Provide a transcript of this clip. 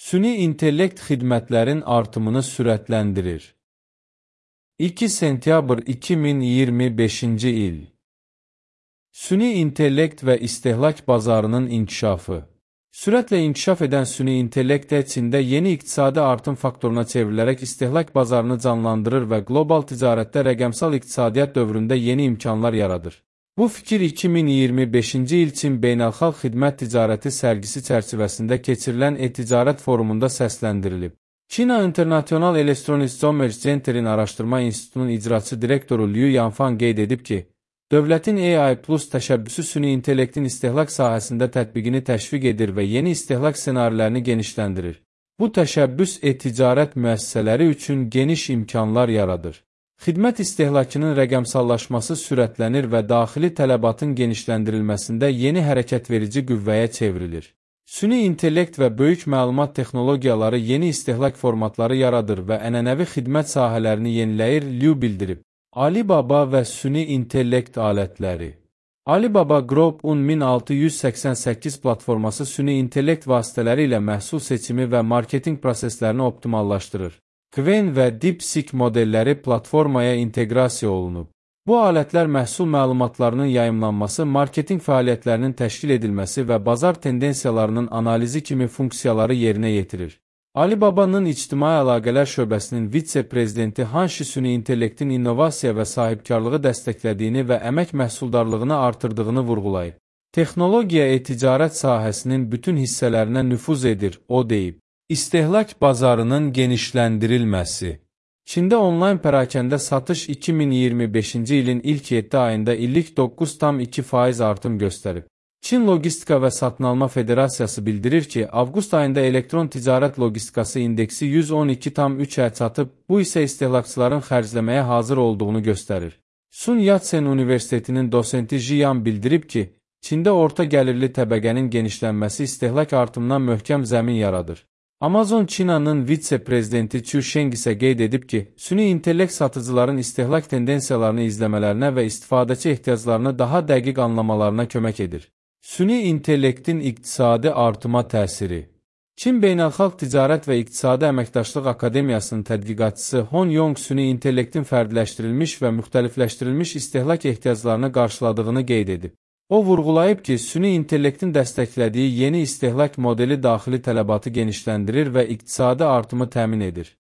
Süni intellekt xidmətlərin artımını sürətləndirir. 2 sentyabr 2025-ci il. Süni intellekt və istehlak bazarının inkişafı. Sürətlə inkişaf edən süni intellekt Çində yeni iqtisadi artım faktoruna çevrilərək istehlak bazarını canlandırır və qlobal ticarətdə rəqəmsal iqtisadiyyat dövründə yeni imkanlar yaradır. Bu fikir 2025-ci il Çin Beynəlxalq Xidmət Ticarəti sərgisi çərçivəsində keçirilən e-ticarət forumunda səsləndirilib. China International Electronics Commerce Center'in Araşdırma İnstitutunun icraçı direktoru Liu Yanfang qeyd edib ki, dövlətin AI Plus təşəbbüsü süni intellektin istehlak sahəsində tətbiqini təşviq edir və yeni istehlak ssenarilərini genişləndirir. Bu təşəbbüs e-ticarət müəssisələri üçün geniş imkanlar yaradır. Xidmət istehlakının rəqəmsallaşması sürətlənir və daxili tələbatın genişləndirilməsində yeni hərəkətverici qüvvəyə çevrilir. Süni intellekt və böyük məlumat texnologiyaları yeni istehlak formatları yaradır və ənənəvi xidmət sahələrini yeniləyir, Liu bildirib. Alibaba və süni intellekt alətləri. Alibaba Group 1688 platforması süni intellekt vasitələri ilə məhsul seçimi və marketinq proseslərini optimallaşdırır. Qwen və DeepSeek modelləri platformaya inteqrasiya olunub. Bu alətlər məhsul məlumatlarının yayımlanması, marketinq fəaliyyətlərinin təşkil edilməsi və bazar tendensiyalarının analizi kimi funksiyaları yerinə yetirir. Alibaba'nın İctimai Əlaqələr şöbəsinin vitse-prezidenti Hanshi süni intellektin innovasiya və sahibkarlığı dəstəklədiyini və əmək məhsuldarlığını artırdığını vurğulayıb. Texnologiya e-ticarət sahəsinin bütün hissələrinə nüfuz edir, o deyib. İstehlak bazarının genişləndirilməsi. Çində onlayn pərakəndə satış 2025-ci ilin ilk 7 ayında illik 9,2% artım göstərib. Çin Logistika və Satın-alma Federasiyası bildirir ki, avqust ayında elektron ticarət logistikası indeksi 112,3-ə çatıb, bu isə istehlakçıların xərcləməyə hazır olduğunu göstərir. Sun Yat-sen Universitetinin dosenti Jiyan bildirib ki, Çində orta gəlirli təbəqənin genişlənməsi istehlak artımından möhkəm zəmin yaradır. Amazon Çinanın vitse-prezidenti Chu Sheng isə qeyd edib ki, süni intellekt satıcıların istehlak tendensiyalarını izləmələrinə və istifadəçi ehtiyaclarını daha dəqiq anlamalarına kömək edir. Süni intellektin iqtisadi artıma təsiri. Çin Beynəlxalq Ticarət və İqtisadi Əməkdaşlıq Akademiyasının tədqiqatçısı Hon Yong süni intellektin fərdləşdirilmiş və müxtəlifləşdirilmiş istehlak ehtiyaclarını qarşıladığını qeyd edib. O vurğulayıb ki, süni intellektin dəstəklədiyi yeni istehlak modeli daxili tələbatı genişləndirir və iqtisadi artımı təmin edir.